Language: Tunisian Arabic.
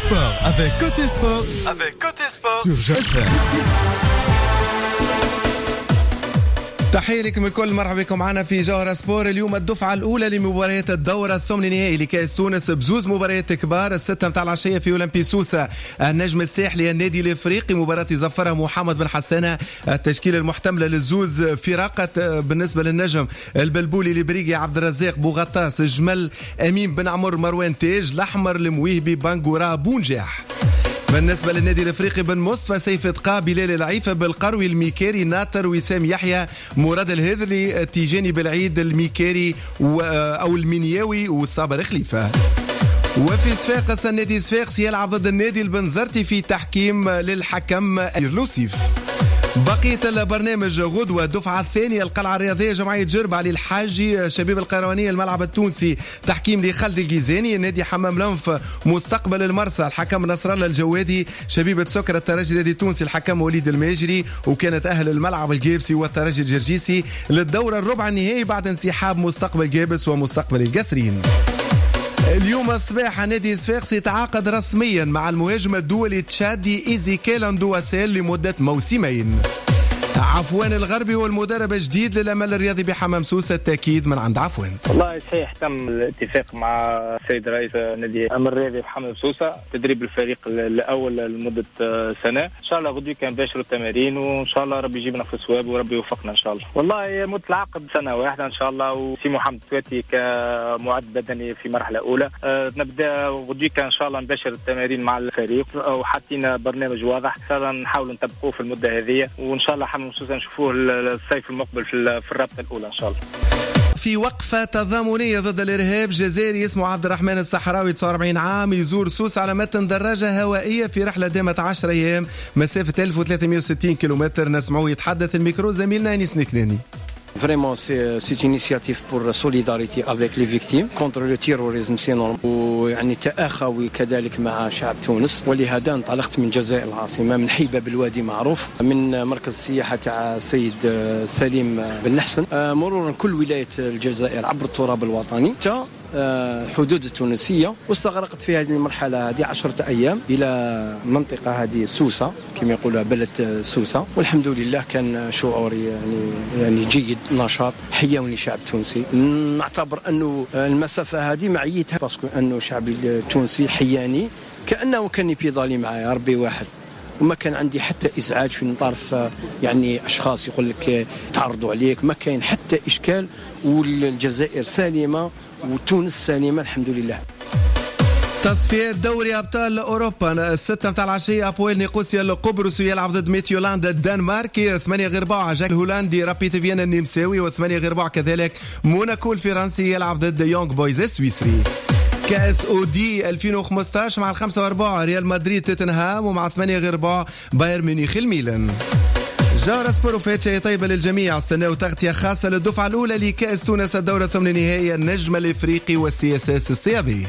Sport avec Cote Sport. Avec Cote Sport sur Jaffa. تحية لكم الكل، مرحبا بكم معنا في جوهرة سبور. اليوم الدفعة الأولى لمباريات الدورة الثمن نهائي لكأس تونس بزوز مباريات كبار. الستة متاع العشية في أولمبي سوسة النجم الساحلي النادي الإفريقي، مباراة يزفرها محمد بن حسانة. التشكيلة المحتملة للزوز فرقة بالنسبة للنجم: البلبولي، البريقي، عبد الرزاق، بوغطاس، الجمل، أمين بن عمر، مروان تاج، الأحمر، المويهبي، بانغورا، بونجاح. بالنسبة للنادي الافريقي: بن مصطفى، سيف تقا، بلال العيفة، بالقروي، الميكاري، ناطر، وسام يحيى، مراد الهذلي، تيجاني بالعيد، الميكاري او المنياوي، والصابر خليفة. وفي صفاقس النادي صفاقس يلعب ضد النادي البنزرتي في تحكيم للحكم لوسيف. بقية البرنامج غدوة الدفعة الثانية: القلعة الرياضية جمعية جربة علي الحاجي شبيب القيروانية الملعب التونسي، تحكيم لخالد الجيزاني. نادي حمام لنف مستقبل المرسى، الحكم نصر الله الجوادي. شبيبة سكر الترجي النادي التونسي، الحكم وليد الماجري. وكانت أهل الملعب الجابسي والترجي الجرجيسي للدورة الربع النهائي بعد انسحاب مستقبل جابس ومستقبل القصرين. اليوم الصباح نادي صفاقس يتعاقد رسميا مع المهاجم الدولي التشادي إيزيكيل أندواسيل لمدة موسمين. عفوان الغربي هو المدرب الجديد للأمل الرياضي بحمام سوسة، التأكيد من عند عفوان. والله صحيح، تم الاتفاق مع السيد رئيس نادي الأمل الرياضي بحمام سوسة تدريب الفريق الأول لمدة سنة. إن شاء الله غدوة كان باشروا التمارين، وإن شاء الله ربي يجيبنا في الصواب وربي يوفقنا إن شاء الله. والله مدة العقد سنة واحدة إن شاء الله، وسي محمد تواتي كمعد بدني في مرحلة أولى. نبدأ غدوة إن شاء الله نباشر التمارين مع الفريق، وحاطين برنامج واضح إن شاء الله نحاول نطبقوه في المدة هذه، وإن شاء الله حمام سوسة نشوفوه الصيف المقبل في الرابطة الأولى إن شاء الله. في وقفة تضامنية ضد الإرهاب، جزائري اسمه عبد الرحمن الصحراوي 49 عام يزور سوس على متن دراجة هوائية في رحلة دامت 10 أيام مسافة 1360 كيلومتر. نسمعه يتحدث الميكرو زميلنا أنيس نكناني. Vraiment, c'est une initiative pour la solidarité avec les victimes contre le terrorisme, c'est normal. ويعني تآخوي كذلك مع شعب تونس، ولهذا انطلقت من الجزائر العاصمة، من حي باب الوادي معروف، من مركز السياحة تاع السيد سليم بن لحسن، مرورا كل ولاية الجزائر عبر التراب الوطني حتى حدود التونسية. واستغرقت في هذه المرحلة هذه 10 أيام إلى منطقة هذه سوسة كما يقولوا بلد سوسة، والحمد لله كان شعوري يعني جيد، نشاط، حيوني شعب تونسي. نعتبر أنه المسافة هذه معيتها parce que أنه شعب التونسي حياني كأنه كان يبيضالي معايا ربي واحد، وما كان عندي حتى إزعاج في طرف يعني أشخاص يقول لك تعرضوا عليك، ما كاين حتى إشكال، والجزائر سالمة وتونس سالمة الحمد لله. تصفيات دوري أبطال أوروبا الستة متاع العشية: أبويل نيقوسيا القبرصي يلعب ضد ميتيولاند الدنماركي، 7:45 أجاكس الهولندي رابيد فيينا النمساوي، و7:45 كذلك موناكو الفرنسي يلعب ضد يونغ بويز السويسري. كأس أودي 2015 مع 5:15 ريال مدريد توتنهام، ومع 7:45 بايرن ميونخ الميلان. جوهرة سبور وفات شيء طيبة للجميع. استناو تغطية خاصة للدفعة الأولى لكأس تونس الدورة الثمن النهائية النجم الإفريقي وال CSS السيابي.